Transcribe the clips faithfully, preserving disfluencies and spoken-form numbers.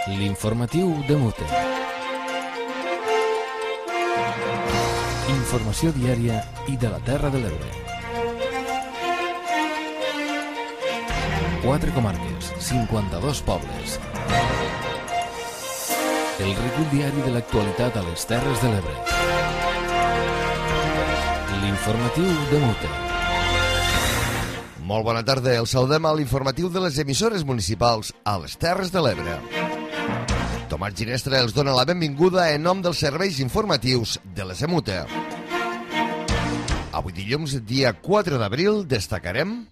L'informatiu de Mute. Informació diària i de la Terra de l'Ebre. Quatre comarques, cinquanta-dos pobles. El recull diari de l'actualitat a les Terres de l'Ebre. L'informatiu de Mute. Molt bona tarda, el saludem a l'informatiu de les emissores municipals a les Terres de l'Ebre. Tomàs Ginestra els dona la benvinguda en nom dels serveis informatius de les Emute. Avui dilluns, dia quatre d'abril, destacarem...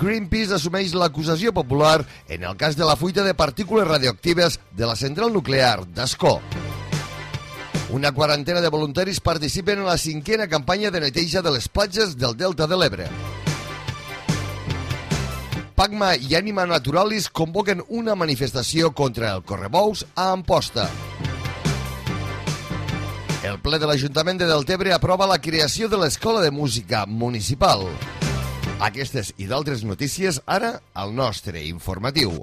Greenpeace assumeix l'acusació popular en el cas de la fuita de partícules radioactives de la central nuclear d'Ascó. Una quarantena de voluntaris participen en la cinquena campanya de neteja de les platges del Delta de l'Ebre. Pacma i Ànima Naturalis convoquen una manifestació contra el correbous a Amposta. El ple de l'Ajuntament de Deltebre aprova la creació de l'Escola de Música Municipal. Aquestes i d'altres notícies ara al nostre informatiu.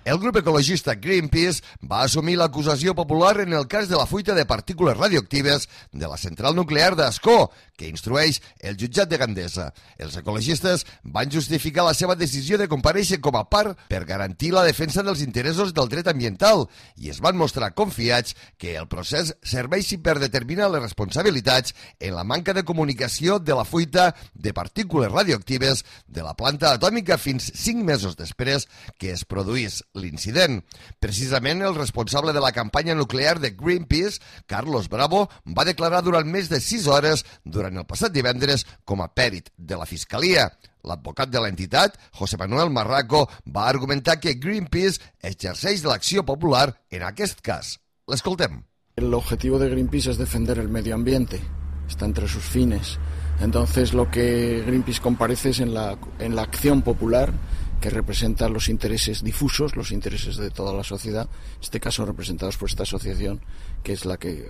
El grup ecologista Greenpeace va assumir l'acusació popular en el cas de la fuita de partícules radioactives de la central nuclear d'Ascó, que instrueix el jutjat de Gandesa. Els ecologistes van justificar la seva decisió de comparèixer com a part per garantir la defensa dels interessos del dret ambiental i es van mostrar confiats que el procés serveixi per determinar les responsabilitats en la manca de comunicació de la fuita de partícules radioactives de la planta atòmica fins cinc mesos després que es produís l'incident. Precisament el responsable de la campanya nuclear de Greenpeace, Carlos Bravo, va declarar durant més de sis hores durant el passat divendres com a pèrit de la Fiscalia. L'advocat de l'entitat, José Manuel Marraco, va argumentar que Greenpeace exerceix l'acció popular en aquest cas. L'escoltem. El objetivo de Greenpeace es defender el medio ambiente. Está entre sus fines. Entonces lo que Greenpeace comparece es en la, en la acción popular que representa los intereses difusos, los intereses de toda la sociedad, en este caso representados por esta asociación, que es la que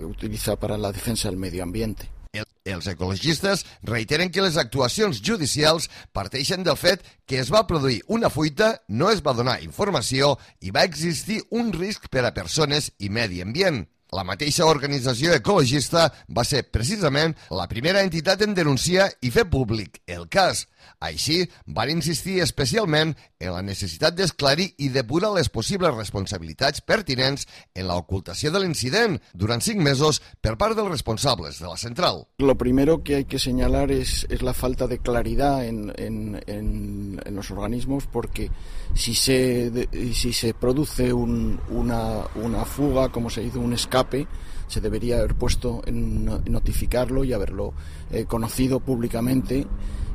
utiliza para la defensa del medio ambiente. El, els ecologistes reiteren que les actuacions judicials parteixen del fet que es va produir una fuita, no es va donar informació i va existir un risc per a persones i medi ambient. La mateixa organització ecologista va ser precisament la primera entitat en denunciar i fer públic el cas. Així, van insistir especialment en la necessitat d'esclarir i depurar les possibles responsabilitats pertinents en l'ocultació de l'incident durant cinc mesos per part dels responsables de la central. Lo primero que hay que señalar es, es la falta de claridad en, en, en, en los organismos, porque si se, de, si se produce un, una, una fuga, como se hizo un escape, se debería haber puesto en notificarlo y haberlo eh, conocido públicamente,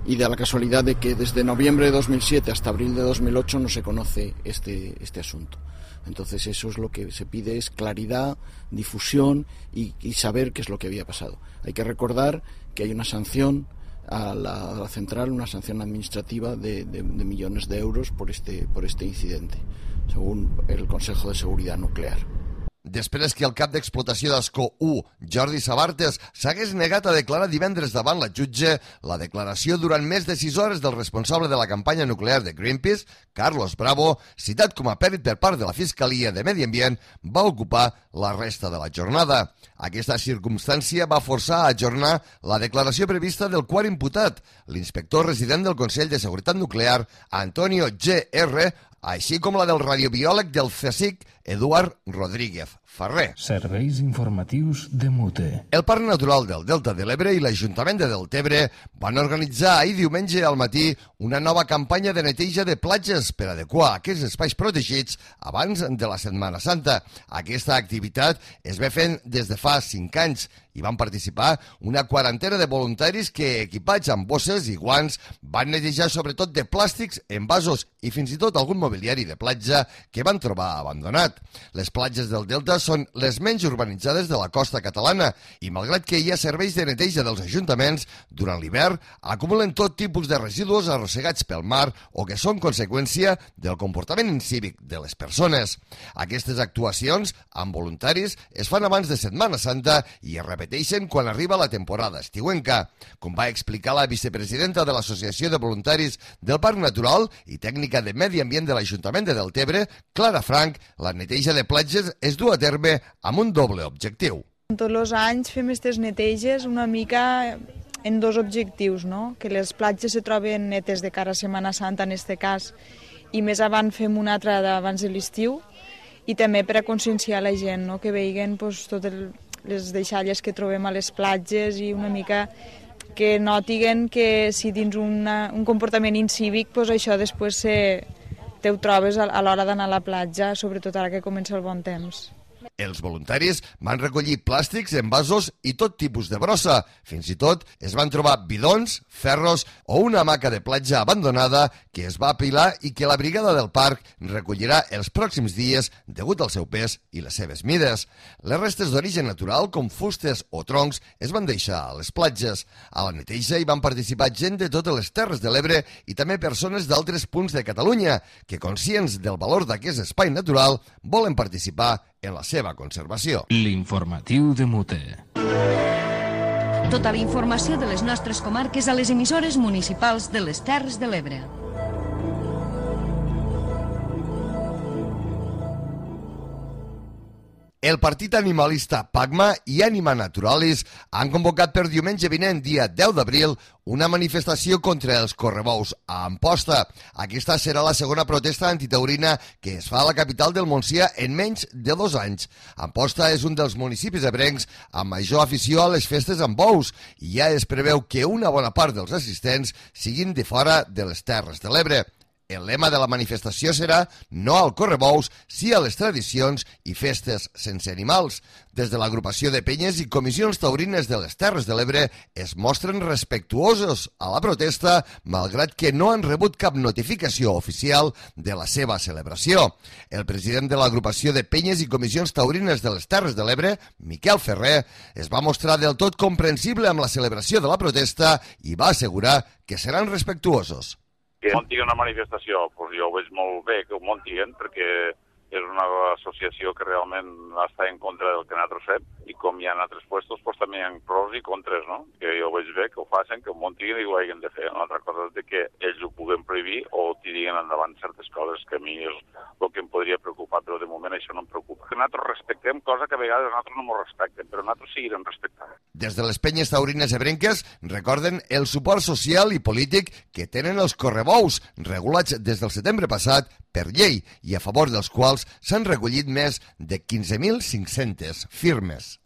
y da la casualidad de que desde noviembre de dos mil siete hasta abril de dos mil ocho no se conoce este, este asunto. Entonces eso es lo que se pide, es claridad, difusión y, y saber qué es lo que había pasado. Hay que recordar que hay una sanción a la, a la central, una sanción administrativa de, de, de millones de euros por este, por este incidente, según el Consejo de Seguridad Nuclear. Després que el cap d'explotació d'Ascó u, Jordi Sabartes, s'hagués negat a declarar divendres davant la jutge, la declaració durant més de sis hores del responsable de la campanya nuclear de Greenpeace, Carlos Bravo, citat com a pèrit per part de la Fiscalia de Medi Ambient, va ocupar la resta de la jornada. Aquesta circumstància va forçar a ajornar la declaració prevista del quart imputat, l'inspector resident del Consell de Seguretat Nuclear, Antonio G R, així com la del radiobiòleg del C S I C, Eduard Rodríguez Ferrer. Serveis informatius de Mute. El Parc Natural del Delta de l'Ebre i l'Ajuntament de Deltebre van organitzar ahir diumenge al matí una nova campanya de neteja de platges per adequar aquests espais protegits abans de la Setmana Santa. Aquesta activitat es ve fent des de fa cinc anys i van participar una quarantena de voluntaris que, equipats amb bosses i guants, van netejar sobretot de plàstics, envasos i fins i tot algun mobiliari de platja que van trobar abandonat. Les platges del Delta són són les menys urbanitzades de la costa catalana i, malgrat que hi ha serveis de neteja dels ajuntaments, durant l'hivern acumulen tot tipus de residus arrossegats pel mar o que són conseqüència del comportament incívic de les persones. Aquestes actuacions, amb voluntaris, es fan abans de Setmana Santa i es repeteixen quan arriba la temporada estiuenca. Com va explicar la vicepresidenta de l'Associació de Voluntaris del Parc Natural i tècnica de Medi Ambient de l'Ajuntament de Deltebre, Clara Frank, la neteja de platges es du a terme amb un doble objectiu. Tots els anys fem aquestes neteges una mica en dos objectius, no? Que les platges se troben netes de cara a Setmana Santa en aquest cas, i més avant fem una altra abans de l'estiu, i també per a conscienciar la gent, no? Que veiguen pues, totes les deixalles que trobem a les platges i una mica que notiguen que si dins una, un comportament incívic, pues, això després se, te ho trobes a, a l'hora d'anar a la platja, sobretot ara que comença el bon temps. Els voluntaris van recollir plàstics, envasos i tot tipus de brossa. Fins i tot es van trobar bidons, ferros o una hamaca de platja abandonada que es va apilar i que la brigada del parc recollirà els pròxims dies degut al seu pes i les seves mides. Les restes d'origen natural, com fustes o troncs, es van deixar a les platges. A la neteja hi van participar gent de totes les Terres de l'Ebre i també persones d'altres punts de Catalunya que, conscients del valor d'aquest espai natural, volen participar en la seva conservació. L'informatiu de Mute. Tota la informació de les nostres comarques a les emissores municipals de les Terres de l'Ebre. El partit animalista PACMA i Anima Naturalis han convocat per diumenge vinent, dia deu d'abril, una manifestació contra els correbous a Amposta. Aquesta serà la segona protesta antitaurina que es fa a la capital del Montsià en menys de dos anys. Amposta és un dels municipis ebrencs amb major afició a les festes amb bous i ja es preveu que una bona part dels assistents siguin de fora de les Terres de l'Ebre. El lema de la manifestació serà no al correbous, sí a les tradicions i festes sense animals. Des de l'agrupació de penyes i comissions taurines de les Terres de l'Ebre es mostren respectuosos a la protesta, malgrat que no han rebut cap notificació oficial de la seva celebració. El president de l'agrupació de penyes i comissions taurines de les Terres de l'Ebre, Miquel Ferrer, es va mostrar del tot comprensible amb la celebració de la protesta i va assegurar que seran respectuosos. Que muntin una manifestació, doncs jo ho veig molt bé que ho muntin, perquè és una associació que realment està en contra del que nosaltres fem, i com hi ha en altres puestos, doncs també hi ha pros i contres, no? Que jo ho veig bé, que ho facin, que ho muntin i ho hagin de fer. Una altra cosa és de que ells ho puguen prohibir o tirin endavant certes coses que a mi és el que em podria preocupar, però de moment això no em preocupa. Que nosaltres respectem, cosa que a vegades nosaltres no ens respectem, però nosaltres seguirem respectant. Des de les penyes taurines ebrenques recorden el suport social i polític que tenen els correbous, regulats des del setembre passat per llei i a favor dels quals s'han recollit més de quinze mil cinc-centes firmes.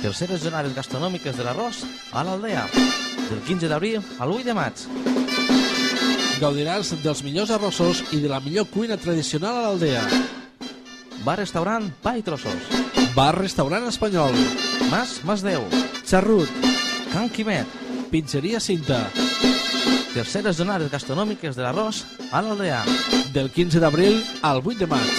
Terceres jornades gastronòmiques de l'arròs a l'Aldea, del quinze d'abril al vuit de maig. Gaudiràs dels millors arrossos i de la millor cuina tradicional a l'Aldea. Bar-restaurant Pa i Trossos. Bar-restaurant espanyol. Mas Masdeu. Xarrut. Can Quimet. Pizzeria Cinta. Terceres jornades gastronòmiques de l'arròs a l'Aldea. Del quinze d'abril al vuit de maig.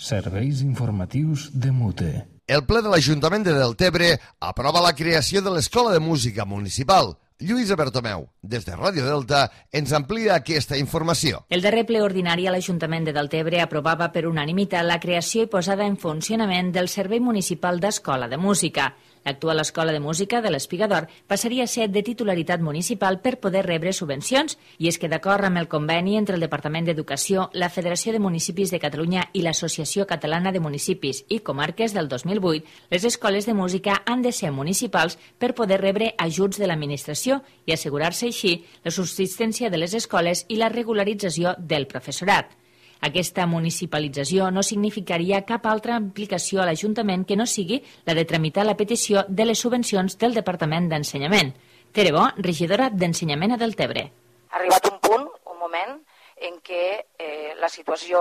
Serveis informatius de Mute. El ple de l'Ajuntament de Deltebre aprova la creació de l'Escola de Música Municipal. Lluïsa Bertomeu, des de Ràdio Delta, ens amplia aquesta informació. El darrer ple ordinari a l'Ajuntament de Deltebre aprovava per unanimitat la creació i posada en funcionament del Servei Municipal d'Escola de Música. L'actual Escola de Música de l'Espiga d'Or passaria a ser de titularitat municipal per poder rebre subvencions, i és que d'acord amb el conveni entre el Departament d'Educació, la Federació de Municipis de Catalunya i l'Associació Catalana de Municipis i Comarques del dos mil vuit, les escoles de música han de ser municipals per poder rebre ajuts de l'administració i assegurar-se així la subsistència de les escoles i la regularització del professorat. Aquesta municipalització no significaria cap altra implicació a l'Ajuntament que no sigui la de tramitar la petició de les subvencions del Departament d'Ensenyament. Tere Bo, regidora d'Ensenyament a Deltebre. Ha arribat un punt, un moment, en què eh, la situació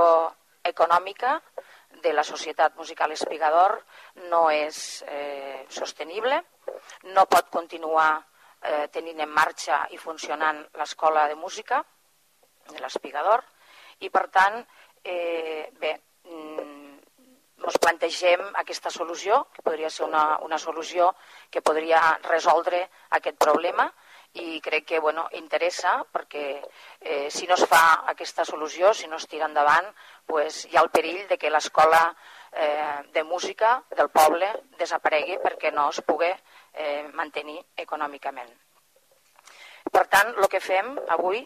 econòmica de la Societat Musical Espigador no és eh, sostenible, no pot continuar eh, tenint en marxa i funcionant l'escola de música de l'Espigador i, per tant, eh, bé, ens plantegem aquesta solució, que podria ser una, una solució que podria resoldre aquest problema i crec que bueno, interessa perquè eh, si no es fa aquesta solució, si no es tira endavant, pues, hi ha el perill de que l'escola eh, de música del poble desaparegui perquè no es pugui eh, mantenir econòmicament. Per tant, el que fem avui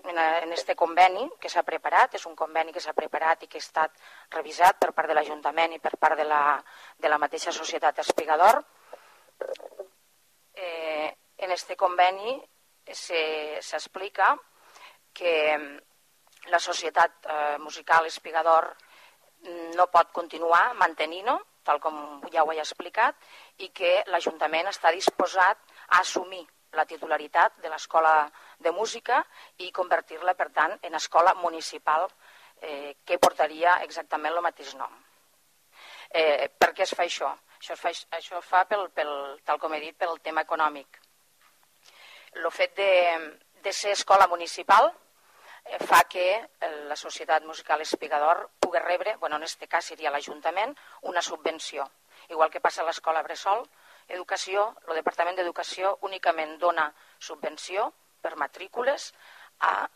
en aquest conveni que s'ha preparat, és un conveni que s'ha preparat i que ha estat revisat per part de l'Ajuntament i per part de la, de la mateixa Societat Espigador. Eh, en aquest conveni s'explica que la Societat eh, Musical Espigador no pot continuar mantenint-ho, tal com ja ho he explicat, i que l'Ajuntament està disposat a assumir la titularitat de l'escola de música i convertir-la, per tant, en escola municipal eh, que portaria exactament el mateix nom. Eh, per què es fa això? Això es fa, això es fa pel, pel, tal com he dit, pel tema econòmic. El fet de, de ser escola municipal eh, fa que la Societat Musical Espigador pugui rebre, bueno, en aquest cas seria l'Ajuntament, una subvenció. Igual que passa a l'escola Bressol, Educació, el Departament d'Educació únicament dona subvenció per matrícules a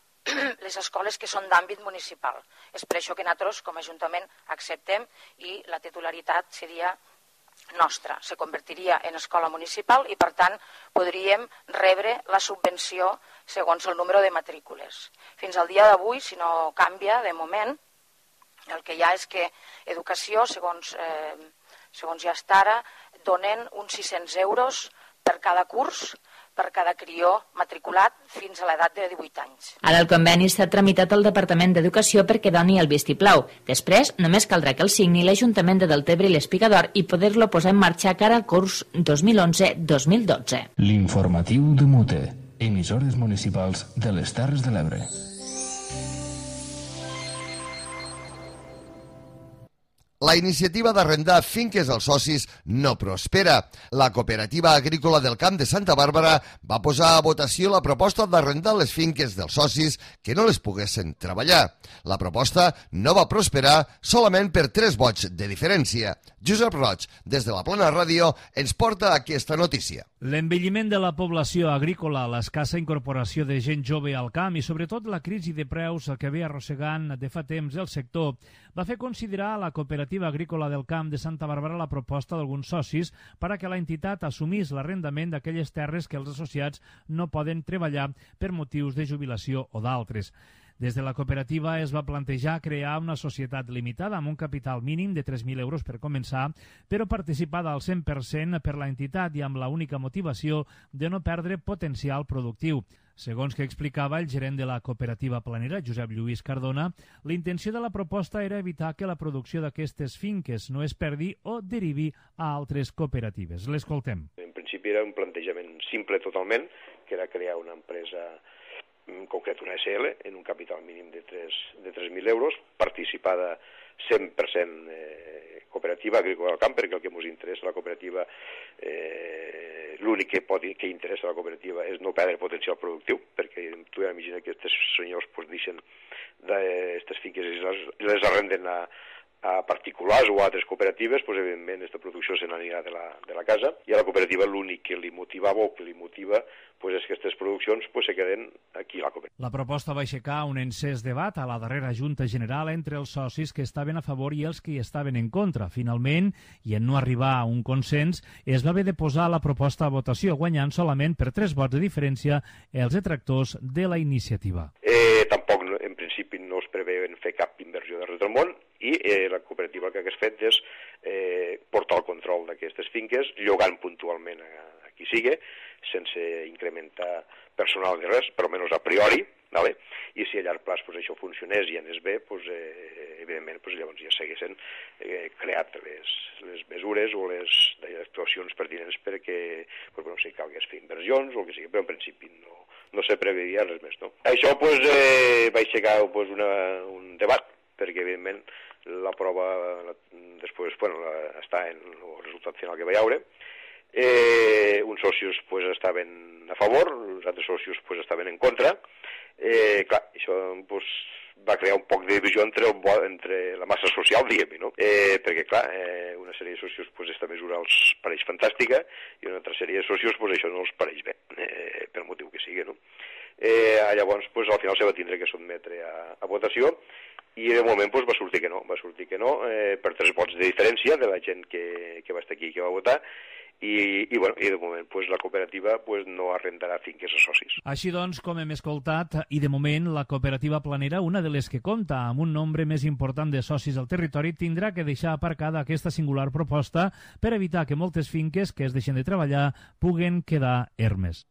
les escoles que són d'àmbit municipal. És per això que nosaltres, com a Ajuntament, acceptem i la titularitat seria nostra. Se convertiria en escola municipal i, per tant, podríem rebre la subvenció segons el número de matrícules. Fins al dia d'avui, si no canvia, de moment, el que hi ha és que Educació, segons, eh, segons ja està ara, donen uns sis-cents euros per cada curs, per cada crió matriculat fins a l'edat de divuit anys. Ara el conveni està tramitat al Departament d'Educació perquè doni el vistiplau. Després, només caldrà que el signi l'Ajuntament de Deltebre i l'Espigador i poder-lo posar en marxa cara al curs dos mil onze dos mil dotze. L'informatiu de Mute, emissores municipals de les Terres de l'Ebre. La iniciativa d'arrendar finques als socis no prospera. La Cooperativa Agrícola del Camp de Santa Bàrbara va posar a votació la proposta d'arrendar les finques dels socis que no les poguessin treballar. La proposta no va prosperar solament per tres vots de diferència. Josep Roig, des de la Plana Ràdio, ens porta aquesta notícia. L'envelliment de la població agrícola, l'escassa incorporació de gent jove al camp i sobretot la crisi de preus que ve arrossegant de fa temps el sector va fer considerar a la Cooperativa Agrícola del Camp de Santa Bàrbara la proposta d'alguns socis per a que la entitat assumís l'arrendament d'aquelles terres que els associats no poden treballar per motius de jubilació o d'altres. Des de la cooperativa es va plantejar crear una societat limitada amb un capital mínim de tres mil euros per començar, però participada al cent per cent per la entitat i amb la única motivació de no perdre potencial productiu. Segons que explicava el gerent de la cooperativa planera, Josep Lluís Cardona, la intenció de la proposta era evitar que la producció d'aquestes finques no es perdi o derivi a altres cooperatives. L'escoltem. En principi era un plantejament simple totalment, que era crear una empresa en concret una S L, en un capital mínim de tres mil euros, participada cent per cent eh, cooperativa agrícola del camp, perquè el que ens interessa a la cooperativa, eh, l'únic que, pot, que interessa a la cooperativa és no perdre potencial productiu, perquè tu ja imagina que aquests senyors pues, deixen d'aquestes finques i les, les arrenden a, a particulars o a altres cooperatives, pues, evidentment aquesta producció se n'anirà de, la, de la casa, i a la cooperativa l'únic que li motivava o que li motiva pues, és que aquestes produccions pues, se queden aquí a la cooperativa. La proposta va aixecar un encès debat a la darrera Junta General entre els socis que estaven a favor i els que hi estaven en contra. Finalment, i en no arribar a un consens, es va haver de posar la proposta a votació, guanyant solament per tres vots de diferència els detractors de la iniciativa. Eh, tampoc, en principi, no es preveuen fer cap inversió de res del món, i eh, la cooperativa el que hagués fet és eh, portar el control d'aquestes finques, llogant puntualment a, a qui sigui, sense incrementar personal de res, però almenys a priori, ¿vale? I si a llarg plaç pues, això funcionés i anés bé, pues, eh, evidentment pues, llavors ja s'haguessin eh, creat les, les mesures o les actuacions pertinents perquè pues, bueno, si calgués fer inversions o el que sigui, però en principi no, no se preveia res més. No? Això pues, eh, va aixecar pues, una, un debat, perquè evidentment la prova després, bueno, està en el resultat final que va haure. Eh, uns socios pues, estaven a favor, els altres socios pues, estaven en contra. Eh, clar, això pues, va crear un poc de divisió entre, entre la massa social, diguem-hi, no? Eh, perquè, clar, eh, una sèrie de socios pues, esta mesura els pareix fantàstica i una altra sèrie de socios pues, això no els pareix bé, eh, per motiu que sigui, no? Eh, llavors, pues, al final se va tindre que sotmetre a, a votació i de moment pues, va sortir que no, va sortir que no, eh, per tres vots de diferència de la gent que, que va estar aquí i que va votar. I, i, bueno, i de moment pues, la cooperativa pues, no arrendarà finques a socis. Així doncs, com hem escoltat, i de moment la cooperativa planera, una de les que compta amb un nombre més important de socis al territori, tindrà que deixar aparcada aquesta singular proposta per evitar que moltes finques que es deixen de treballar puguen quedar ermes.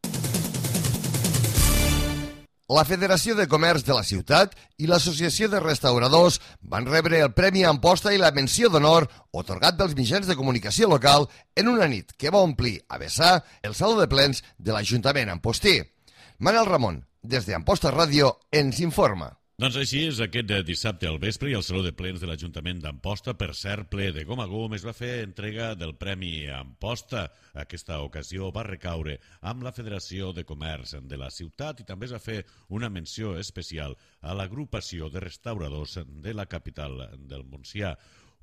La Federació de Comerç de la ciutat i l'Associació de Restauradors van rebre el Premi Amposta i la menció d'honor otorgat dels mitjans de comunicació local en una nit que va omplir a vessar el saló de plens de l'Ajuntament ampostí. Manel Ramon, des d'Amposta Ràdio, ens informa. Doncs així és, aquest dissabte al vespre i al Saló de Plens de l'Ajuntament d'Amposta, per cert, ple de gom a gom, es va fer entrega del Premi Amposta. Aquesta ocasió va recaure amb la Federació de Comerç de la ciutat i també es va fer una menció especial a l'agrupació de restauradors de la capital del Montsià.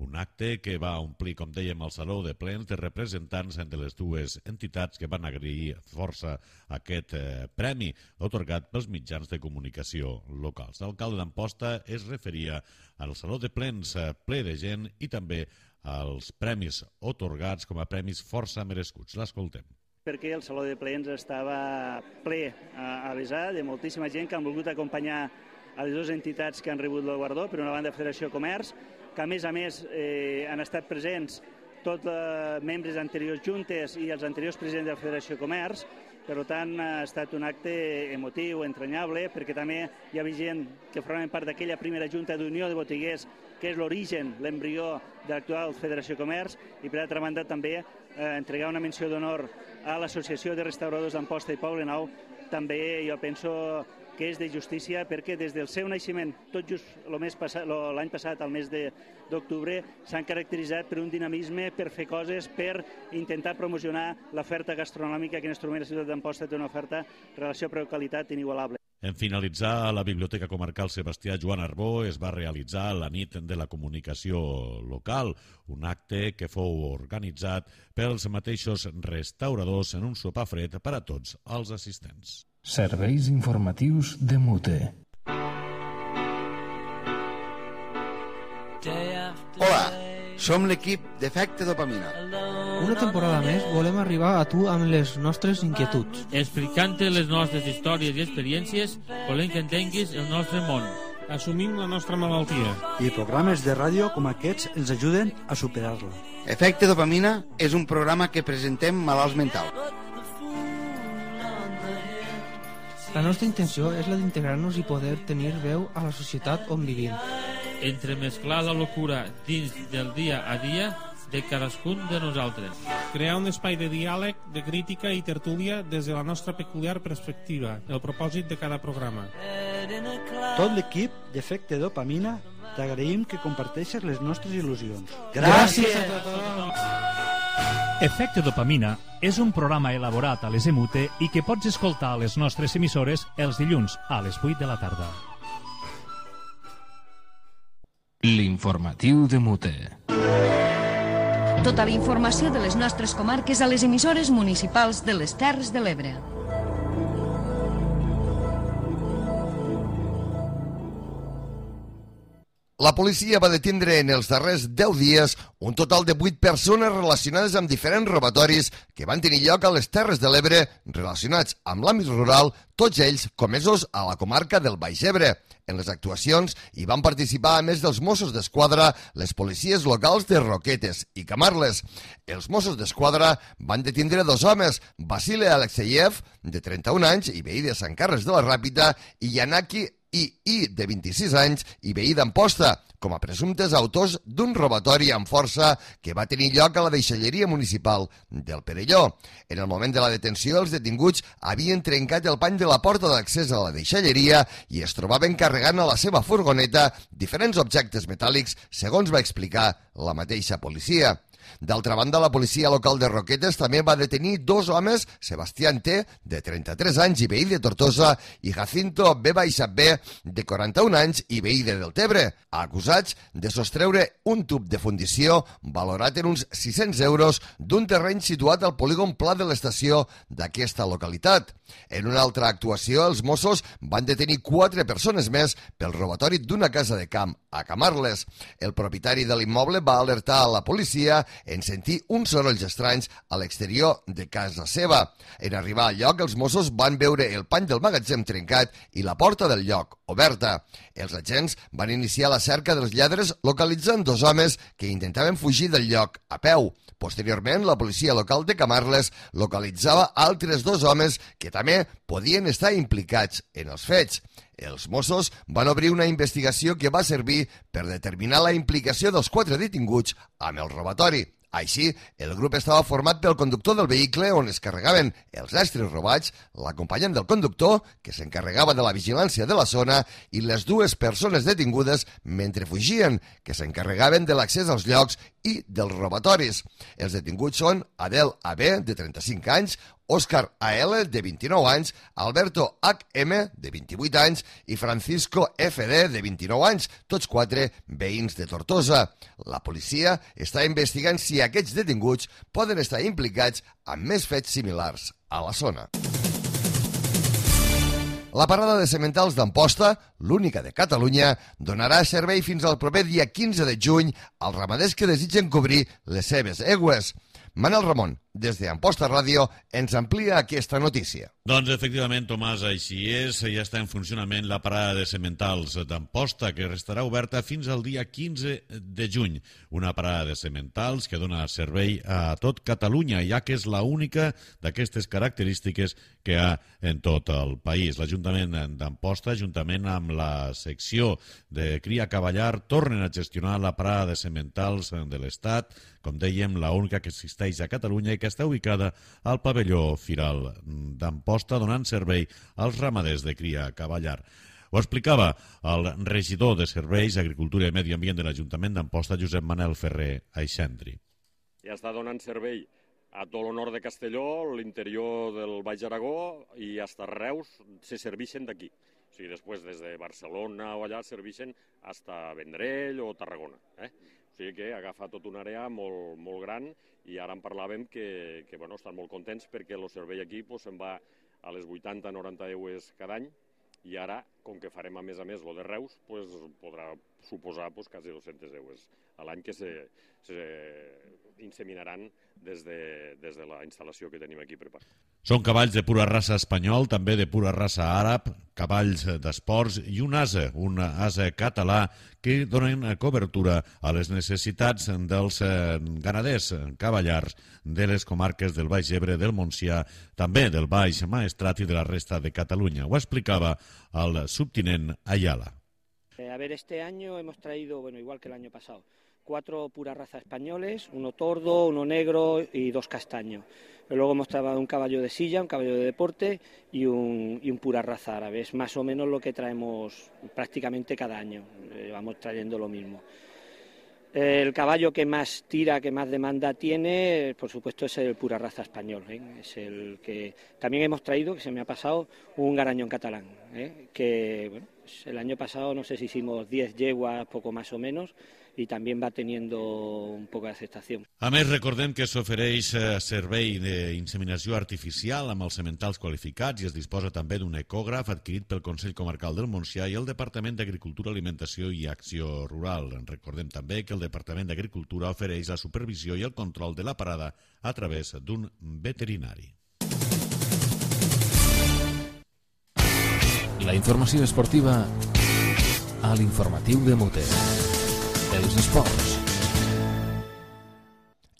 Un acte que va omplir, com dèiem, el Saló de Plens de representants de les dues entitats que van agrair força aquest eh, premi otorgat pels mitjans de comunicació locals. L'alcalde d'Amposta es referia al Saló de Plens eh, ple de gent i també als premis otorgats com a premis força merescuts. L'escoltem. Perquè el Saló de Plens estava ple a, a vessar de moltíssima gent que han volgut acompanyar a les dues entitats que han rebut el guardó, per una banda Federació Comerç, que a més a més eh, han estat presents tots els membres d'anteriors juntes i els anteriors presidents de la Federació Comerç. Per tant, ha estat un acte emotiu, entranyable, perquè també hi havia gent que formaven part d'aquella primera Junta d'Unió de Botiguers, que és l'origen, l'embrió de l'actual Federació Comerç, i per altra banda també eh, entregar una menció d'honor a l'Associació de Restauradors d'Amposta i Poblenou. També jo penso que és de justícia perquè des del seu naixement, tot just l'any passat, al mes d'octubre, s'han caracteritzat per un dinamisme, per fer coses, per intentar promocionar l'oferta gastronòmica que en este moment la ciutat d'Amposta té una oferta relació preu-qualitat inigualable. En finalitzar, a la Biblioteca Comarcal Sebastià Joan Arbó es va realitzar la nit de la comunicació local, un acte que fou organitzat pels mateixos restauradors en un sopar fred per a tots els assistents. Serveis informatius de Mute. Hola, som l'equip d'Efecte Dopamina. Una temporada més volem arribar a tu amb les nostres inquietuds. Explicant-te les nostres històries i experiències, volem que entenguis el nostre món. Assumim la nostra malaltia. I programes de ràdio com aquests ens ajuden a superar-la. Efecte Dopamina és un programa que presentem malalts mentals. La nostra intenció és la d'integrar-nos i poder tenir veu a la societat on vivim. Entremesclar la locura dins del dia a dia de cadascun de nosaltres. Crear un espai de diàleg, de crítica i tertúlia des de la nostra peculiar perspectiva, el propòsit de cada programa. Tot l'equip d'Efecte Dopamina t'agraïm que comparteixes les nostres il·lusions. Gràcies a tothom! Efecte Dopamina és un programa elaborat a les E M U T E i que pots escoltar a les nostres emissores els dilluns a les vuit de la tarda. L'informatiu de Mute. Tota la informació de les nostres comarques a les emissores municipals de les Terres de l'Ebre. La policia va detindre en els darrers deu dies un total de vuit persones relacionades amb diferents robatoris que van tenir lloc a les Terres de l'Ebre relacionats amb l'àmbit rural, tots ells comesos a la comarca del Baix Ebre. En les actuacions hi van participar, a més dels Mossos d'Esquadra, les policies locals de Roquetes i Camarles. Els Mossos d'Esquadra van detindre dos homes, Vasile Alexeyev, de trenta-un anys i veí de Sant Carles de la Ràpita, i Yanaki I I, de vint-i-sis anys, i veí d'Amposta, com a presumptes autors d'un robatori amb força que va tenir lloc a la deixalleria municipal del Perelló. En el moment de la detenció, els detinguts havien trencat el pany de la porta d'accés a la deixalleria i es trobaven carregant a la seva furgoneta diferents objectes metàl·lics, segons va explicar la mateixa policia. D'altra banda, la policia local de Roquetes també va detenir dos homes, Sebastián T, de trenta-tres anys i veí de Tortosa, i Jacinto B. B, de quaranta-un anys i veí de Deltebre, acusats de sostreure un tub de fundició valorat en uns sis-cents euros d'un terreny situat al polígon Pla de l'Estació d'aquesta localitat. En una altra actuació, els Mossos van detenir quatre persones més pel robatori d'una casa de camp a Camarles. El propietari de l'immoble va alertar a la policia en sentir uns sorolls estranys a l'exterior de casa seva. En arribar al lloc, els Mossos van veure el pany del magatzem trencat i la porta del lloc oberta. Els agents van iniciar la cerca dels lladres localitzant dos homes que intentaven fugir del lloc a peu. Posteriorment, la policia local de Camarles localitzava altres dos homes que també podien estar implicats en els fets. Els Mossos van obrir una investigació que va servir per determinar la implicació dels quatre detinguts amb el robatori. Així, el grup estava format pel conductor del vehicle on es carregaven els estris robats, l'acompanyant del conductor, que s'encarregava de la vigilància de la zona, i les dues persones detingudes mentre fugien, que s'encarregaven de l'accés als llocs i dels robatoris. Els detinguts són Adel A B, de trenta-cinc anys, Òscar A L, de vint-i-nou anys, Alberto H M, de vint-i-vuit anys, i Francisco F D, de vint-i-nou anys, tots quatre veïns de Tortosa. La policia està investigant si aquests detinguts poden estar implicats en més fets similars a la zona. La parada de sementals d'Amposta, l'única de Catalunya, donarà servei fins al proper dia quinze de juny als ramaders que desitgen cobrir les seves aigües. Manel Ramon, des d'Amposta Ràdio, ens amplia aquesta notícia. Doncs, efectivament, Tomàs, així és. Ja està en funcionament la parada de sementals d'Amposta, que restarà oberta fins al dia quinze de juny. Una parada de sementals que dona servei a tot Catalunya, ja que és l'única d'aquestes característiques que hi ha en tot el país. L'Ajuntament d'Amposta, juntament amb la secció de Cria Cavallar, tornen a gestionar la parada de sementals de l'Estat, com dèiem, l'única que existeix a Catalunya i que està ubicada al pavelló Firal d'Amposta, donant servei als ramaders de Cria Cavallar. Ho explicava el regidor de Serveis, Agricultura i Medi Ambient de l'Ajuntament d'Amposta, Josep Manel Ferrer Aixendri. Ja està donant servei a tot el nord de Castelló, l'interior del Baix Aragó i fins a Reus se serveixen d'aquí. O sigui, després des de Barcelona o allà serveixen fins a Vendrell o Tarragona. Eh? O sigui que agafa tota una àrea molt, molt gran i ara en parlàvem que, que bueno, estan molt contents perquè el servei aquí pues, se'n va a les vuitanta a noranta euros cada any i ara, com que farem a més a més lo de Reus, pues, podrà suposar pues, quasi dos-cents euros a l'any que se, se inseminaran des de, des de la instal·lació que tenim aquí preparada. Són cavalls de pura raça espanyol, també de pura raça àrab, cavalls d'esports i un ase, un ase català que donen cobertura a les necessitats dels ganaders cavallars de les comarques del Baix Ebre, del Montsià, també del Baix Maestrat i de la resta de Catalunya. Ho explicava el subtinent Ayala. A ver, este año hemos traído, bueno, igual que el año pasado, cuatro pura raza españoles, uno tordo, uno negro y dos castaños. Luego hemos traído un caballo de silla, un caballo de deporte y un, y un pura raza árabe. Es más o menos lo que traemos prácticamente cada año, eh, vamos trayendo lo mismo. El caballo que más tira, que más demanda tiene, por supuesto, es el pura raza español. ¿eh? Es el que también hemos traído, que se me ha pasado, un garañón catalán. ¿eh? Que bueno, pues el año pasado no sé si hicimos diez yeguas, poco más o menos, i també va teniendo un poc d'acceptació. A més, recordem que s'ofereix servei d'inseminació artificial amb els sementals qualificats i es disposa també d'un ecògraf adquirit pel Consell Comarcal del Montsià i el Departament d'Agricultura, Alimentació i Acció Rural. Recordem també que el Departament d'Agricultura ofereix la supervisió i el control de la parada a través d'un veterinari. La informació esportiva a l'informatiu de Mote. Els esports.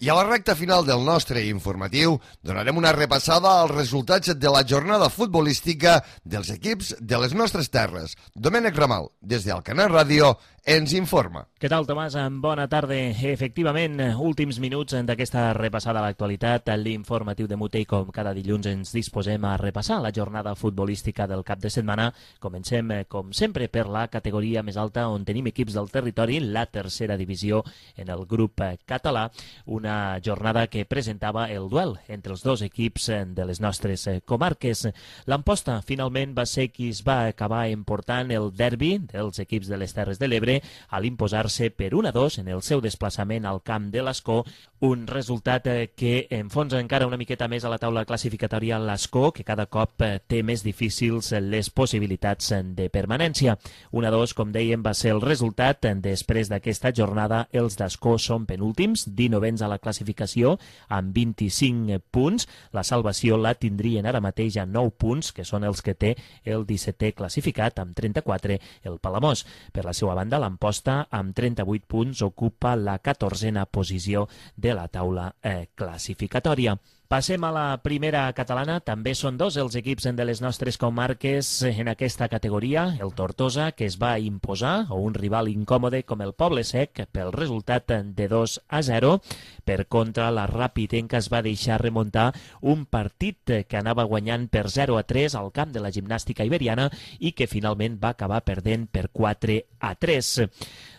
I a la recta final del nostre informatiu donarem una repassada als resultats de la jornada futbolística dels equips de les nostres terres. Domènec Ramal, des d'Alcanar Ràdio, ens informa. Què tal, Tomàs? Bona tarda. Efectivament, últims minuts d'aquesta repassada a l'actualitat, l'informatiu de Mute, i com cada dilluns ens disposem a repassar la jornada futbolística del cap de setmana. Comencem, com sempre, per la categoria més alta, on tenim equips del territori, la tercera divisió en el grup català, una jornada que presentava el duel entre els dos equips de les nostres comarques. L'Amposta, finalment, va ser qui es va acabar emportant el derbi dels equips de les Terres de l'Ebre a l'imposar-se per un a dos en el seu desplaçament al camp de l'Escó, un resultat que enfonsa encara una miqueta més a la taula classificatòria l'Escó, que cada cop té més difícils les possibilitats de permanència. un a dos, com dèiem, va ser el resultat. Després d'aquesta jornada, els d'Escó són penúltims, dinovens a la classificació, amb vint-i-cinc punts. La salvació la tindrien ara mateix a nou punts, que són els que té el dissetè classificat, amb trenta-quatre, el Palamós. Per la seva banda, l'Amposta, amb trenta-vuit punts, ocupa la catorzena posició de la taula eh, classificatòria. Passem a la primera catalana. També són dos els equips de les nostres comarques en aquesta categoria. El Tortosa, que es va imposar, o un rival incòmode com el Poble Sec, pel resultat de dos a zero. Per contra, la Ràpitenca es va deixar remuntar un partit que anava guanyant per zero a tres al camp de la Gimnàstica Iberiana i que finalment va acabar perdent per quatre a tres.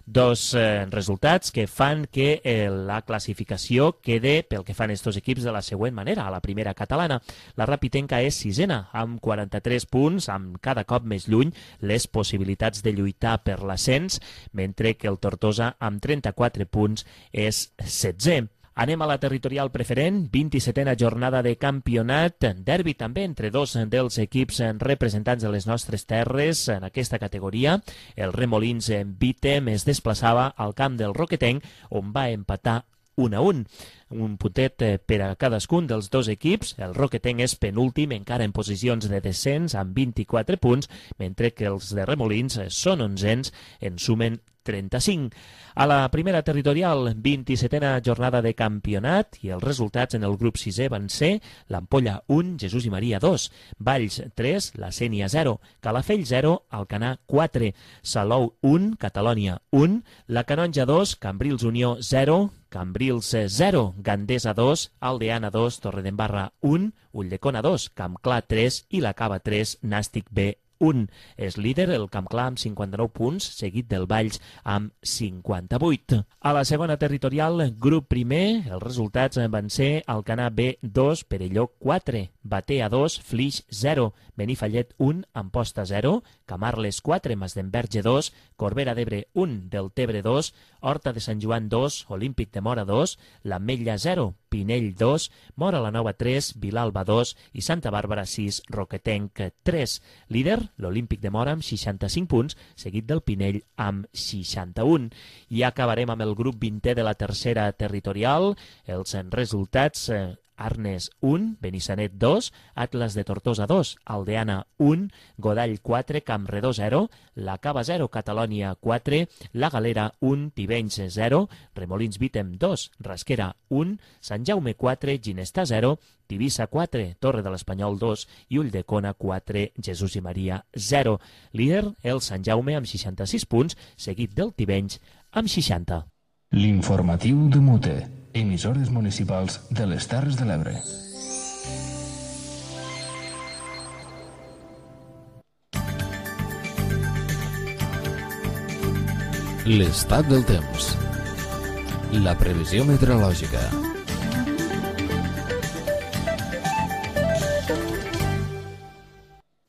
Dos eh, resultats que fan que eh, la classificació quede, pel que fan estos equips, de la següent manera. A la primera catalana, la Ràpitenca és sisena, amb quaranta-tres punts, amb cada cop més lluny les possibilitats de lluitar per l'ascens, mentre que el Tortosa, amb trenta-quatre punts, és setzè. Anem a la territorial preferent, vint-i-setena jornada de campionat, derbi també entre dos dels equips representants de les nostres terres en aquesta categoria. El Remolins en Vítem es desplaçava al camp del Roquetenc, on va empatar un a un. Un puntet per a cadascun dels dos equips. El Roquetenc és penúltim, encara en posicions de descens, amb vint-i-quatre punts, mentre que els de Remolins són onzens, en sumen trenta-cinc. A la primera territorial, vint-i-setena jornada de campionat, i els resultats en el grup sisè van ser l'Ampolla un, Jesús i Maria dos, Valls tres, la Sénia zero, Calafell zero, Alcanar quatre, Salou un, Catalònia un, la Canonja dos, Cambrils Unió zero, Cambrils zero, Gandesa dos, Aldeana dos, Torredembarra un, Ulldecona dos, Campclar tres i la Cava tres, Nàstic B un. És líder el Campclar amb cinquanta-nou punts, seguit del Valls amb cinquanta-vuit. A la segona territorial, grup primer, els resultats van ser Alcanar B dos, Perelló quatre, Batea dos, Flix zero, Benifallet un, Amposta zero, Camarles quatre, Masdenverge dos, Corbera d'Ebre un, Deltebre dos, Horta de Sant Joan dos, Olímpic de Mora dos, l'Ametlla zero, Pinell dos, Mora la Nova tres, Vilalba dos i Santa Bàrbara sis, Roquetenc tres. Líder, l'Olímpic de Mora amb seixanta-cinc punts, seguit del Pinell amb seixanta-un. I acabarem amb el grup vintè de la tercera territorial. Els resultats: eh, Arnes un, Benissanet dos, Atlas de Tortosa dos, Aldeana un, Godall quatre, Campredó zero, la Cava zero, Catalònia quatre, la Galera un, Tivenys zero, Remolins Vítem dos, Rasquera un, Sant Jaume quatre, Ginestà zero, Tivissa quatre, Torre de l'Espanyol dos i Ulldecona quatre, Jesús i Maria zero. Líder, el Sant Jaume amb seixanta-sis punts, seguit del Tivenys amb seixanta. L'informatiu de Mute, emissores municipals de les Terres de l'Ebre. L'estat del temps. La previsió meteorològica.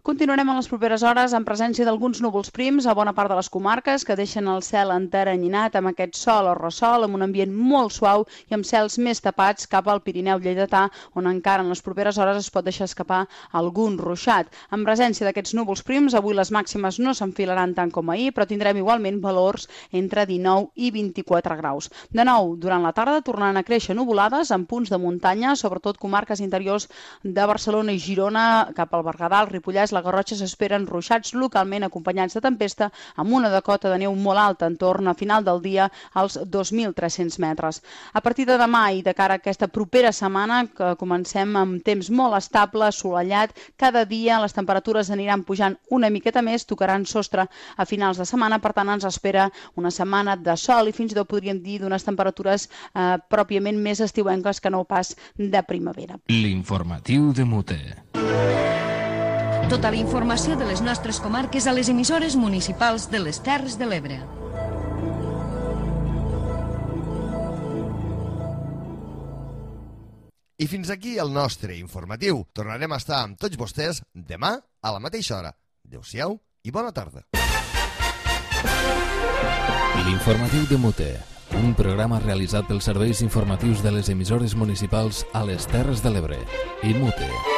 Continuarem en les properes hores en presència d'alguns núvols prims a bona part de les comarques que deixen el cel enteranyinat amb aquest sol o ressol, amb un ambient molt suau i amb cels més tapats cap al Pirineu lleidatà, on encara en les properes hores es pot deixar escapar algun ruixat. En presència d'aquests núvols prims, avui les màximes no s'enfilaran tant com ahir, però tindrem igualment valors entre dinou i vint-i-quatre graus. De nou, durant la tarda tornaran a créixer nuvolades en punts de muntanya, sobretot comarques interiors de Barcelona i Girona, cap al Berguedà, el Ripollès, la Garrotxa s'esperen ruixats localment acompanyats de tempesta amb una decota de neu molt alta, en torn a final del dia als dos mil tres-cents metres. A partir de demà i de cara a aquesta propera setmana, que comencem amb temps molt estable, assolellat, cada dia les temperatures aniran pujant una miqueta més, tocaran sostre a finals de setmana, per tant ens espera una setmana de sol i fins i tot podríem dir d'unes temperatures eh, pròpiament més estiuenques que no pas de primavera. L'informatiu de Mute. Tota la informació de les nostres comarques a les emissores municipals de les Terres de l'Ebre. I fins aquí el nostre informatiu. Tornarem a estar amb tots vostès demà a la mateixa hora. Adéu-siau i bona tarda. L'informatiu de Mute, un programa realitzat pels serveis informatius de les emissores municipals a les Terres de l'Ebre i Mute.